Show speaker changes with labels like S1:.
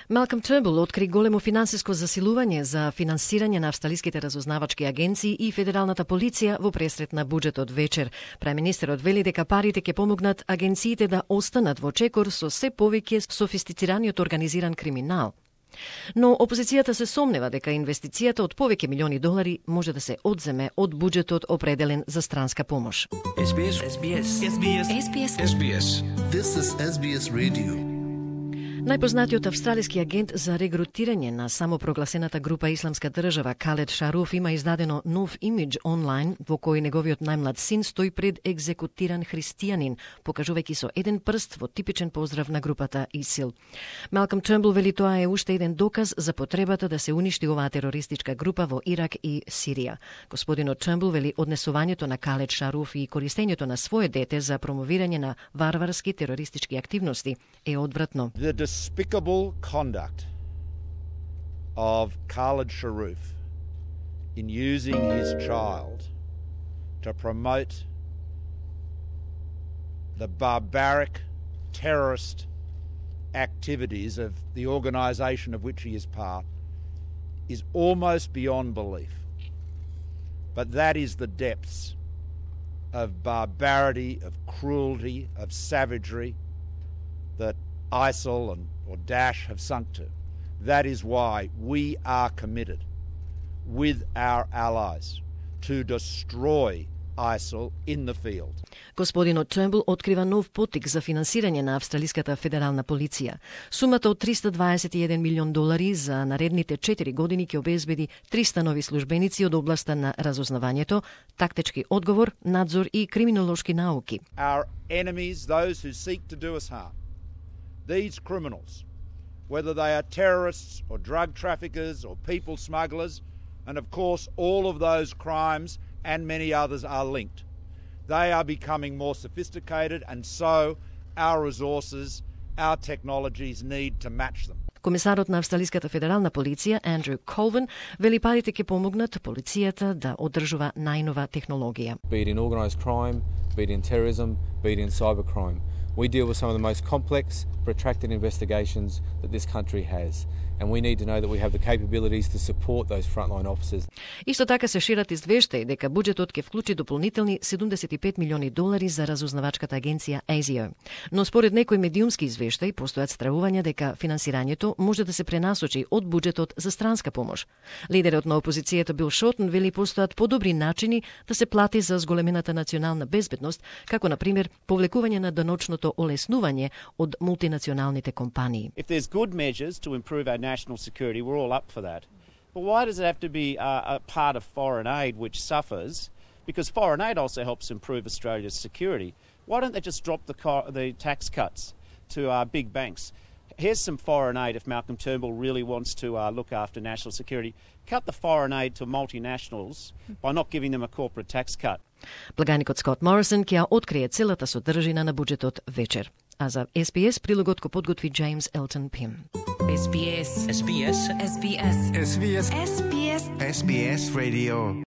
S1: Малком Тернбул откри големо финансиско засилување за финансирање на австралиските разузнавачки агенции и федералната полиција во пресрет на буџетот вечер. Премиерот вели дека парите ќе помогнат агенциите да останат во чекор со се повеќе софистицираниот организиран криминал. Но опозицијата се сомнева дека инвестицијата од повеќе милиони долари може да се одземе од буџетот определен за странска помош.
S2: This is SBS Radio.
S1: Најпознатиот австралиски агент за регрутирање на самопрогласената група Исламска држава Калед Шаруф има издадено нов имидж онлайн во кој неговиот најмлад син стои пред екзекутиран христијанин, покажувајќи со еден прст во типичен поздрав на групата ИСИЛ. Малком Тернбул вели тоа е уште еден доказ за потребата да се уништи оваа терористичка група во Ирак и Сирија. Господинот Тернбул вели однесувањето на Калед Шаруф и користењето на свое дете за промовирање на варварски терористички активности е одвратно.
S3: Despicable conduct of Khaled Sharoof in using his child to promote the barbaric terrorist activities of the organisation of which he is part is almost beyond belief. But that is the depths of barbarity, of cruelty, of savagery that ISIL or Daesh have sunk to. That is why we are committed with our allies to destroy ISIL in the field.
S1: Господинот Тернбул открива нов поттик за финансирање на австралиската федерална полиција. Сумата од $321 милион за наредните 4 години ќе обезбеди 300 нови службеници од областа на разузнавањето, тактички одговор, надзор и криминолошки науки.
S3: Our enemies, those who seek to do us harm, these criminals, whether they are terrorists or drug traffickers or people smugglers, and of course all of those crimes and many others are linked. They are becoming more sophisticated, and so our resources, our technologies need to match them.
S1: Комисарот на австралиската федерална полиција Андрю Колвин вели парите ќе помогнат полицијата да одржува најнова технологија.
S4: Be it in organised crime, be it in terrorism, be it in cybercrime. We deal with some of the most complex, protracted investigations that this country has, and we need to know that we have the capabilities to support those frontline officers.
S1: Исто така се шират извештаи дека буџетот ќе вклучи дополнителни $75 милиони за разузнавачката агенција ASIO. Но според некои медиумски извештаи постојат стравувања дека финансирањето може да се пренасочи од буџетот за странска помош. Лидерот на опозицијата Бил Шортон вели постојат подобри начини да се плати за зголемената национална безбедност, како на пример повлекување на даночното олеснување од мултинационалните компании.
S5: If there's good measures to improve our national security, we're all up for that. But why does it have to be a part of foreign aid which suffers? Because foreign aid also helps improve Australia's security. Why don't they just drop the tax cuts to big banks? Here's some foreign aid if Malcolm Turnbull really wants to look after national security. Cut the foreign aid to multinationals by not giving them a corporate tax cut.
S1: Благаникот Скот Морисон ќе ја открие целата содржина на буџетот вечер. А за SBS прилогот го подготви Джеймс Елтон Пим.
S2: SBS Radio.